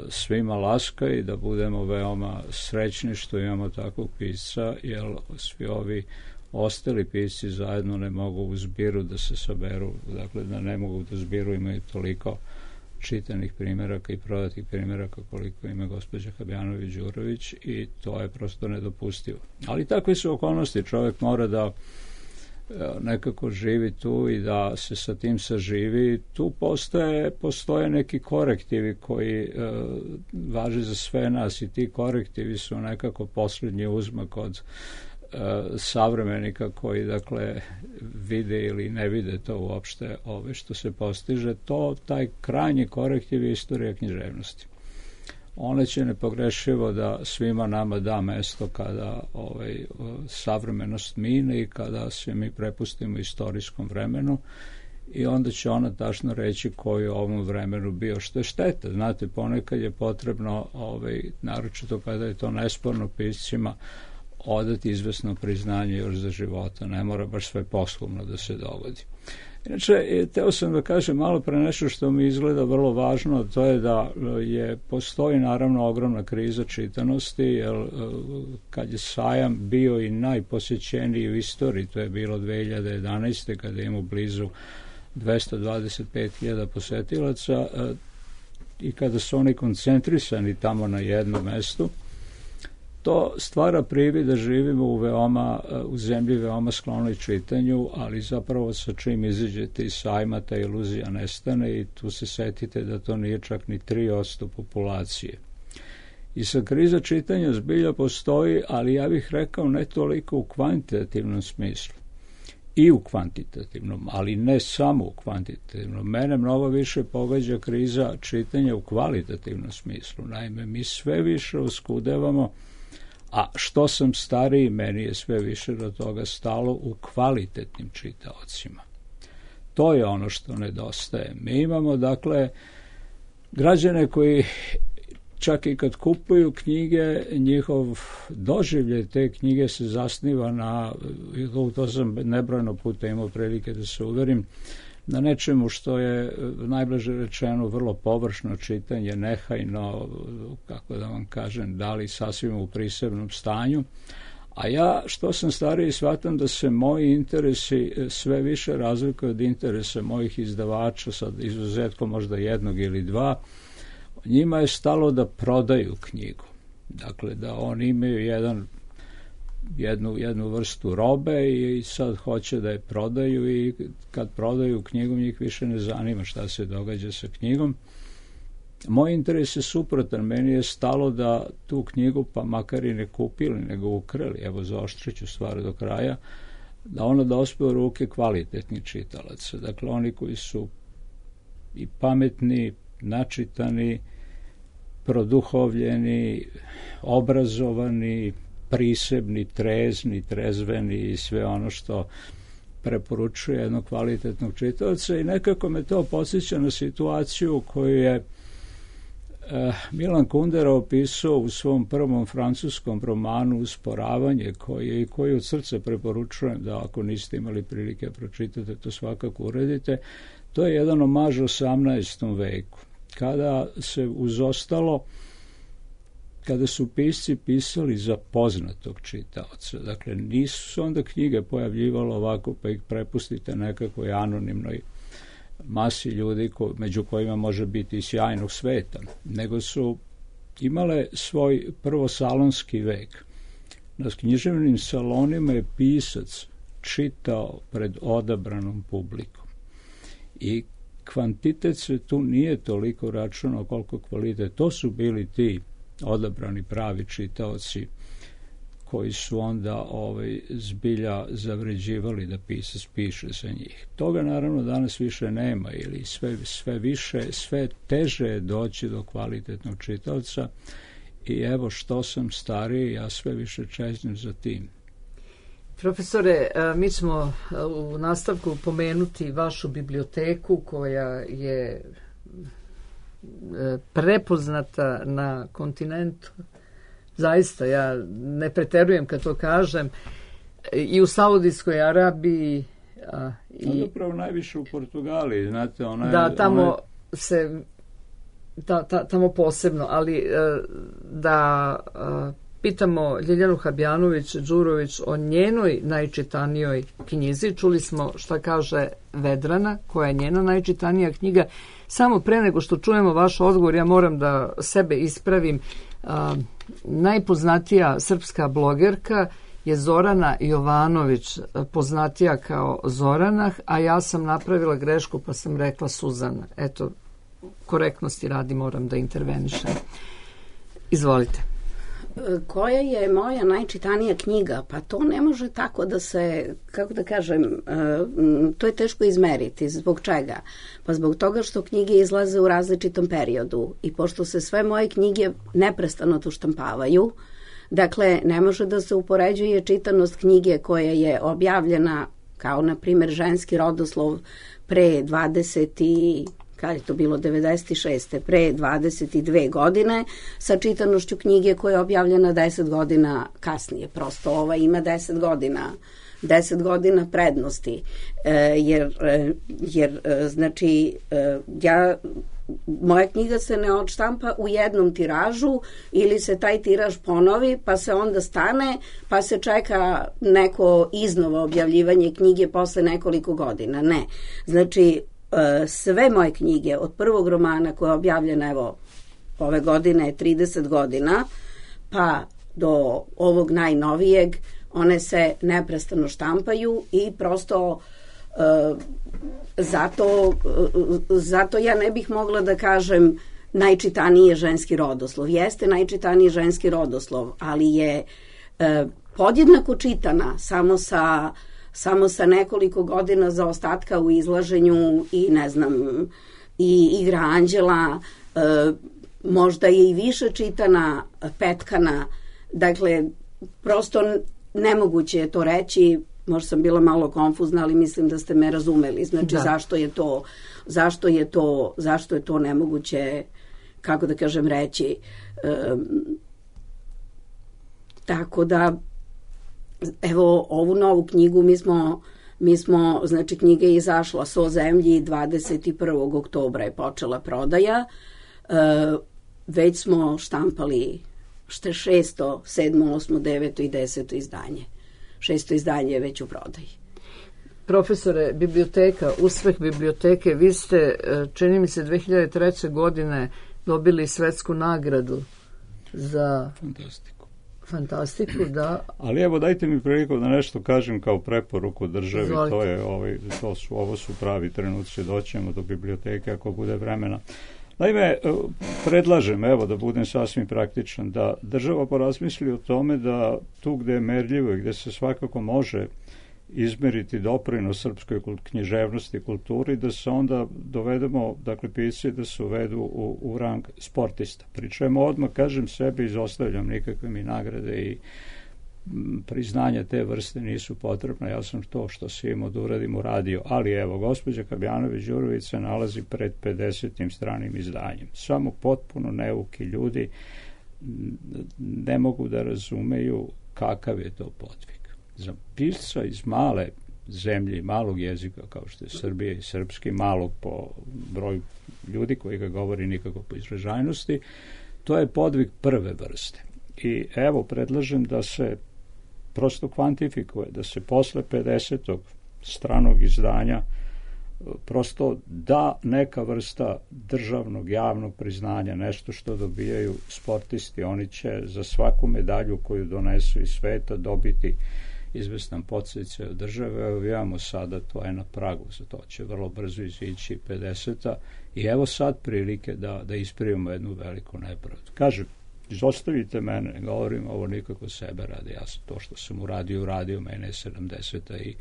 svima laska i da budemo veoma srećni što imamo takvog pisca, jer svi ovi ostali pisci zajedno ne mogu u zbiru da se saberu, dakle da ne mogu da zbiru imaju toliko čitanih primjeraka i prodatih primjeraka koliko ima gospođa Habjanović-Đurović, i to je prosto nedopustivo. Ali takve su okolnosti, čovjek mora da nekako živi tu i da se sa tim saživi. Tu postoje, postoje neki korektivi koji e, važe za sve nas i ti korektivi su nekako posljednji uzmak od e, savremenika koji dakle vide ili ne vide to uopšte ove što se postiže. To, taj krajnji korektiv je istorija književnosti. Ona će nepogrešivo da svima nama da mesto kada ovaj, savremenost mine i kada se mi prepustimo istorijskom vremenu i onda će ona tačno reći koji je u ovom vremenu bio, što je šteta. Znate, ponekad je potrebno, ovaj, naročito kada je to nesporno piscima, odati izvesno priznanje još za života. Ne mora baš sve poslovno da se dogodi. Inače, teo sam da kažem malo pre nešto što mi izgleda vrlo važno, to je da je, postoji naravno ogromna kriza čitanosti, jer kad je sajam bio i najposjećeniji u istoriji, to je bilo dve hiljade jedanaeste. kada imamo blizu dvesta dvadeset pet hiljada posetilaca i kada su oni koncentrisani tamo na jednom mestu, to stvara privid da živimo u veoma, u zemlji veoma sklonoj čitanju, ali zapravo sa čim izađete iz sajma ta iluzija nestane i tu se setite da to nije čak ni tri posto populacije. I sa kriza čitanja zbilja postoji, ali ja bih rekao ne toliko u kvantitativnom smislu. I u kvantitativnom, ali ne samo u kvantitativnom. Mene mnogo više pogađa kriza čitanja u kvalitativnom smislu. Naime, mi sve više oskudevamo, a što sam stariji, meni je sve više do toga stalo u kvalitetnim čitaocima. To je ono što nedostaje. Mi imamo, dakle, građane koji čak i kad kupuju knjige, njihov doživljaj te knjige se zasniva na, to sam nebrojno puta imao prilike da se uverim, na nečemu što je, najblaže rečeno, vrlo površno čitanje, nehajno, kako da vam kažem, da li sasvim u prisebnom stanju. A ja, što sam stariji, shvatam da se moji interesi sve više razlikuju od interesa mojih izdavača, sad izuzetkom možda jednog ili dva. Njima je stalo da prodaju knjigu. Dakle, da oni imaju jedan Jednu, jednu vrstu robe i sad hoće da je prodaju i kad prodaju knjigu njih više ne zanima šta se događa sa knjigom. Moj interes je suprotan. Meni je stalo da tu knjigu, pa makar i ne kupili, nego ukrali, evo zaoštrit ću stvar do kraja, da ona dospe u ruke kvalitetnih čitalaca. Dakle, oni koji su i pametni, načitani, produhovljeni, obrazovani, prisebni, trezni, trezveni i sve ono što preporučuje jednog kvalitetnog čitaoca i nekako me to podsjeća na situaciju koju je eh, Milan Kundera opisao u svom prvom francuskom romanu Usporavanje, koji i koji od srca preporučujem da ako niste imali prilike pročitate, to svakako uredite. To je jedan omaž osamnaestom veku, kada se uz ostalo kada su pisci pisali za poznatog čitaoca. Dakle, nisu se onda knjige pojavljivalo ovako pa ih prepustite nekakvoj anonimnoj masi ljudi ko, među kojima može biti i sjajnog sveta, nego su imale svoj prvosalonski vek. Na književnim salonima je pisac čitao pred odabranom publikom. I kvantitet se tu nije toliko računao koliko kvalitet. To su bili ti odabrani pravi čitaoci koji su onda ovaj, zbilja zavređivali da pisac piše za njih. Toga naravno danas više nema ili sve, sve više, sve teže je doći do kvalitetnog čitaoca i evo što sam stariji, ja sve više čeznem za tim. Profesore, mi ćemo u nastavku pomenuti vašu biblioteku koja je prepoznata na kontinentu. Zaista, ja ne preterujem kad to kažem. I u Saudijskoj Arabiji a, i upravo najviše u Portugaliji, znate, ona je, da, tamo ona je... se ta, ta, tamo posebno, ali da pitamo Ljiljanu Habjanović-Đurović o njenoj najčitanijoj knjizi. Čuli smo šta kaže Vedrana, koja je njena najčitanija knjiga. Samo pre nego što čujemo vaš odgovor, ja moram da sebe ispravim. A, najpoznatija srpska blogerka je Zorana Jovanović, poznatija kao Zorana, a ja sam napravila grešku pa sam rekla Suzana. Eto, korektnosti radi moram da intervenišem. Izvolite. Koja je moja najčitanija knjiga? Pa to ne može tako da se, kako da kažem, to je teško izmeriti. Zbog čega? Pa zbog toga što knjige izlaze u različitom periodu i pošto se sve moje knjige neprestano tu štampavaju, dakle, ne može da se upoređuje čitanost knjige koja je objavljena kao, na primjer, ženski rodoslov pre dvadeset i kada je to bilo devedeset šeste pre dvadeset dve godine, sa čitanošću knjige koja je objavljena deset godina kasnije. Prosto ova ima deset godina deset godina prednosti, e, jer, e, jer e, znači e, ja moja knjiga se ne odštampa u jednom tiražu ili se taj tiraž ponovi pa se onda stane pa se čeka neko iznova objavljivanje knjige posle nekoliko godina. Ne. Znači sve moje knjige od prvog romana koja je objavljena evo ove godine trideset godina pa do ovog najnovijeg, one se neprestano štampaju i prosto uh, zato, uh, zato ja ne bih mogla da kažem najčitaniji je ženski rodoslov. Jeste najčitaniji ženski rodoslov, ali je uh, podjednako čitana samo sa samo sa nekoliko godina zaostatka u izlaženju i ne znam i Igra anđela, e, možda je i više čitana Petkana. Dakle, prosto nemoguće je to reći, možda sam bila malo konfuzna, ali mislim da ste me razumeli. Znači, da. zašto je to zašto je to zašto je to nemoguće, kako da kažem, reći. E, tako da evo ovu novu knjigu mi smo, mi smo znači knjiga je izašla So zemlji dvadeset prvog oktobra je počela prodaja, e, već smo štampali što šesto, sedmo, osmo, deveto i deseto izdanje. Šesto izdanje je već u prodaji. Profesore, biblioteka, uspeh biblioteke, vi ste, čini mi se, dve hiljade treće. godine dobili svetsku nagradu za fantastiku. Fantastiku, da. Ali evo, dajte mi priliku da nešto kažem kao preporuku državi. Izvolite. To je, ovaj, to su, ovo su pravi trenuci, doćemo do biblioteke ako bude vremena. Naime, predlažem, evo, da budem sasvim praktičan, da država porazmisli o tome da tu gde je merljivo i gde se svakako može izmeriti doprinos srpskoj književnosti i kulturi, da se onda dovedemo, dakle, pisci da se uvedu u, u rang sportista. Pri čemu odmah, kažem, sebe izostavljam, nikakve mi nagrade i m, priznanja te vrste nisu potrebne. Ja sam to što se imao da uradim uradio. Ali evo, gospođa Kabjanović-Đurović se nalazi pred pedesetim stranim izdanjem. Samo potpuno neuki ljudi ne mogu da razumeju kakav je to podvig. Za pisca iz male zemlje, malog jezika kao što je Srbija i srpski, malog po broju ljudi koji ga govori, nikako po izražajnosti, to je podvig prve vrste. I evo, predlažem da se prosto kvantifikuje, da se posle pedesetog stranog izdanja prosto da neka vrsta državnog, javnog priznanja, nešto što dobijaju sportisti. Oni će za svaku medalju koju donesu iz sveta dobiti izvestan podsticaj od države. Evo, imamo sada, to je na pragu, za to će vrlo brzo izići pedeseta i evo sad prilike da, da ispravimo jednu veliku nepravdu. Kažem, izostavite mene, ne govorim ovo nikako sebe radi, ja sam to što sam uradio, uradio, mene je sedamdeseta i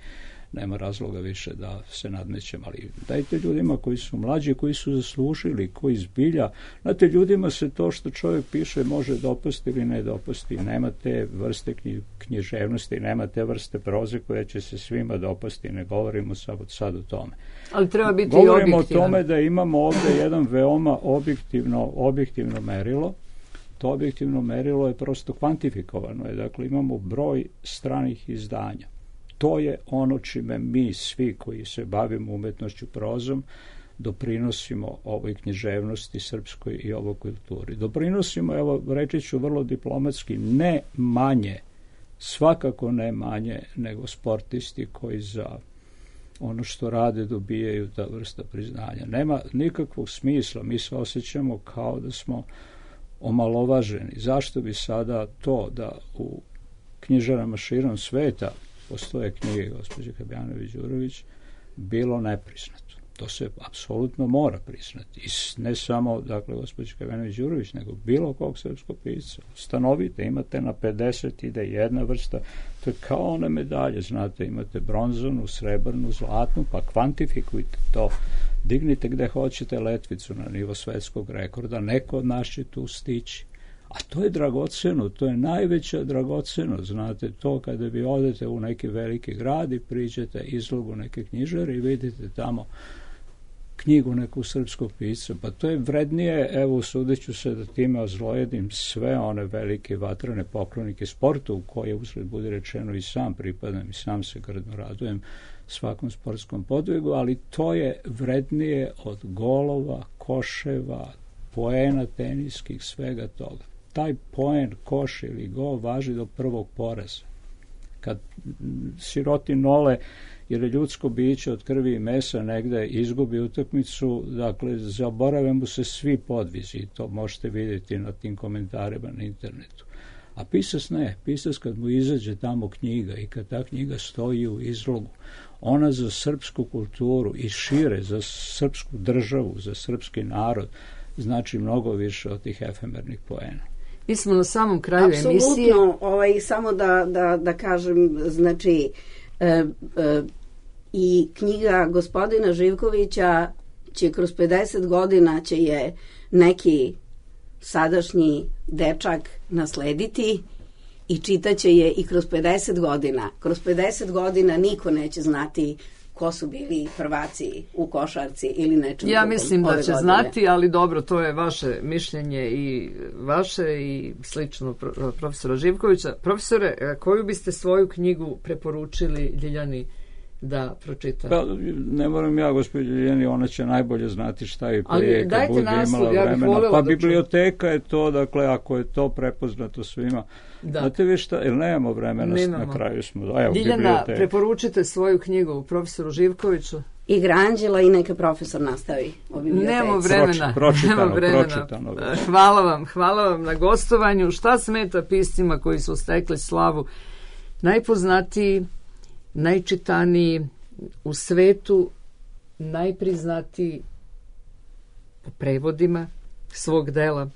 nema razloga više da se nadmećem, ali dajte ljudima koji su mlađi, koji su zaslužili, koji zbilja, znate, ljudima se to što čovjek piše može dopasti ili ne dopasti, nema te vrste književnosti, nema te vrste proze koje će se svima dopasti, ne govorimo sad, sad o tome. Ali treba biti govorimo objektivan. o tome da imamo ovdje jedan veoma objektivno, objektivno merilo. To objektivno merilo je prosto kvantifikovano, je, dakle imamo broj stranih izdanja. To je ono čime mi svi koji se bavimo umetnošću prozom doprinosimo ovoj književnosti srpskoj i ovoj kulturi. Doprinosimo, evo, reći ću vrlo diplomatski, ne manje, svakako ne manje nego sportisti koji za ono što rade dobijaju ta vrsta priznanja. Nema nikakvog smisla, mi se osjećamo kao da smo omalovaženi. Zašto bi sada to da u knjižarama širom sveta, postoje knjige gospođe Habjanović-Đurović, bilo nepriznato. To se apsolutno mora priznati. I ne samo, dakle, gospođe Habjanović-Đurović, nego bilo kog srpskog pisca. Stanovite, imate na pedeset ide jedna vrsta, to je kao one medalje, znate, imate bronzanu, srebrnu, zlatnu, pa kvantifikujte to, dignite gde hoćete letvicu na nivo svetskog rekorda, neko od nas će tu stići. A to je dragoceno, to je najveća dragoceno, znate, to kada vi odete u neki veliki grad i priđete izlogu neke knjižare i vidite tamo knjigu nekog srpskog pisca, pa to je vrednije, evo, sudeću se da time ozlojedim sve one velike vatrene poklonike sportu, u koje, uzgled bude rečeno, i sam pripadam i sam se grdno radujem svakom sportskom podvigu, ali to je vrednije od golova, koševa, poena teniskih, svega toga. Taj poen, koš ili gol važi do prvog poraza. Kad siroti nole, jer je ljudsko biće od krvi i mesa, negde izgubi utakmicu, dakle, zaborave mu se svi podvizi i to možete vidjeti na tim komentarima na internetu. A pisac ne, pisac kad mu izađe tamo knjiga i kad ta knjiga stoji u izlogu, ona za srpsku kulturu i šire, za srpsku državu, za srpski narod, znači mnogo više od tih efemernih poena. Mi smo na samom kraju Apsolutno, emisije. Ovaj, samo da, da, da kažem, znači, e, e, i knjiga gospodina Živkovića će kroz pedeset godina će je neki sadašnji dečak naslediti i čitaće je i kroz pedeset godina. Kroz pedeset godina niko neće znati ko su bili prvaci u košarci ili nečem Ja drugom mislim da ove će godine. znati, ali dobro, to je vaše mišljenje i vaše i slično profesora Živkovića. Profesore, koju biste svoju knjigu preporučili Ljiljani da pročita? Pa, ne moram ja, gospođo Ljiljani, ona će najbolje znati šta je prije, kad bude naslov, imala ja bih vremena. voljela Pa da biblioteka je to, dakle, ako je to prepoznato svima. Da. Znate vi šta, ili nemamo vremena, Nemamo. na kraju smo. Evo, Ljiljana, biblioteka. preporučite svoju knjigu profesoru Živkoviću. Igra anđela i neka profesor nastavi o biblioteci. Nemo vremena. Proč, pročitano, Nemo vremena. pročitano. Hvala vam, hvala vam na gostovanju. Šta smeta piscima koji su stekli slavu? Najpoznatiji, najčitaniji u svetu, najpriznatiji po prevodima svog dela.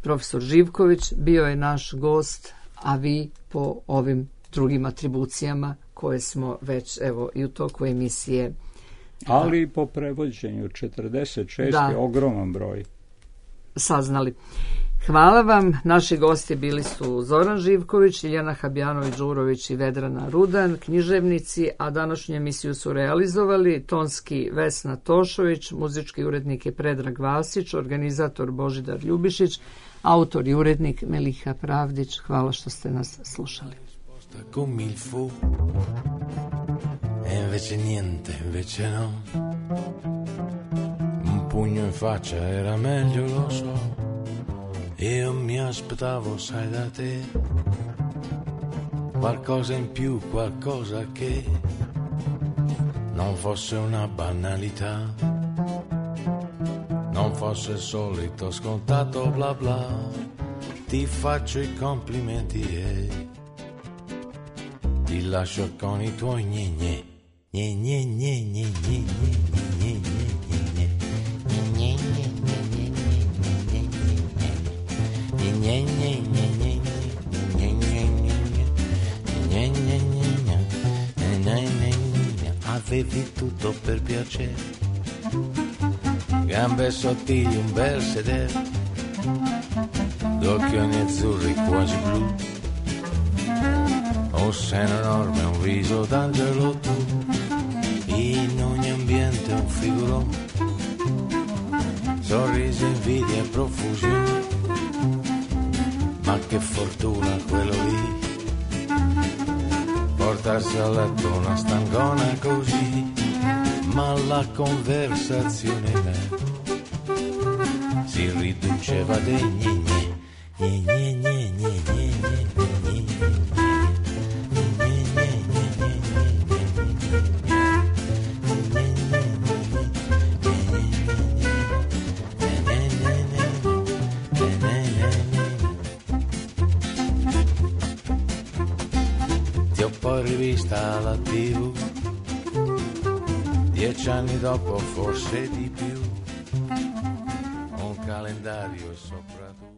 Profesor Živković bio je naš gost, a vi po ovim drugim atribucijama koje smo već, evo, i u toku emisije. Ali i po prevođenju, četrdeset šest Da. je ogroman broj. Saznali. Hvala vam. Naši gosti bili su Zoran Živković, Ljiljana Habjanović-Đurović i Vedrana Rudan, književnici, a današnju emisiju su realizovali tonski Vesna Tošović, muzički urednik je Predrag Vasić, organizator Božidar Ljubišić, autor i urednik Meliha Pravdić. Hvala što ste nas slušali. Come il fu, e invece niente, invece no. Un pugno in faccia era meglio, lo so. Io mi aspettavo, sai, da te qualcosa in più, qualcosa che non fosse una banalità, non fosse il solito scontato bla bla. Ti faccio i complimenti e ti lascio con i tuoi gne gne gne gne gne gne gne gne gne avevi tutto per piacere, gambe sottili, un bel sedere, d'occhioni azzurri quasi blu, un seno enorme, un viso d'angelo tu, in ogni ambiente un figurone, sorriso, invidia e profusione, ma che fortuna quello lì, portarsi a letto una stangona così, ma la conversazione si riduceva dei gne gne gne gne gne gne gne vista alla tivù, dieci anni dopo forse di più, un calendario sopra tu.